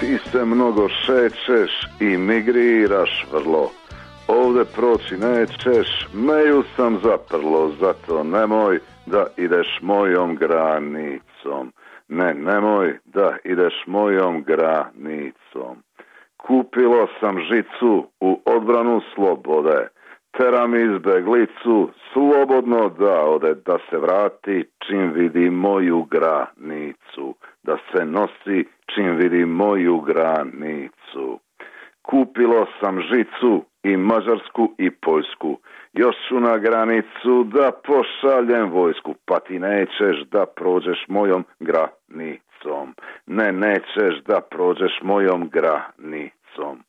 Ti se mnogo šećeš i migriraš vrlo. Ovde proći nećeš, meju sam zaprlo, zato nemoj da ideš mojom granicom. Ne, nemoj da ideš mojom granicom. Kupilo sam žicu u odbranu slobode. Teram izbeglicu, slobodno da ode, da se vrati čim vidi moju granicu. Da se nosi čim vidi moju granicu. Kupilo sam žicu i Mađarsku i Poljsku. Još ću na granicu da pošaljem vojsku. Pa ti nećeš da prođeš mojom granicom. Ne, nećeš da prođeš mojom granicom.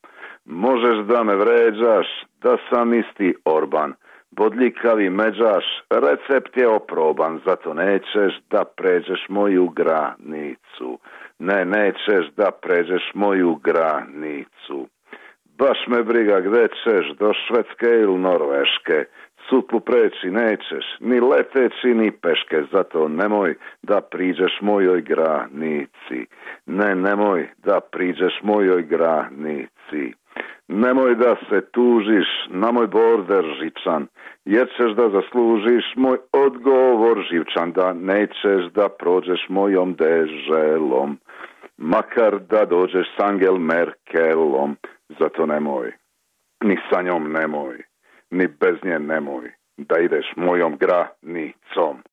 Možeš da me vređaš, da sam isti Orban. Bodljikavi međaš, recept je oproban, zato nećeš da pređeš moju granicu. Ne, nećeš da pređeš moju granicu. Baš me briga gde ćeš, do Švedske ili Norveške. Sutlu preći nećeš, ni leteći ni peške, zato nemoj da priđeš mojoj granici. Ne, nemoj da priđeš mojoj granici. Nemoj da se tužiš na moj border žičan, jer ćeš da zaslužiš moj odgovor živčan, da nećeš da prođeš mojom deželom, makar da dođeš s Angel Merkelom, zato nemoj, ni sa njom nemoj, ni bez nje nemoj, da ideš mojom granicom.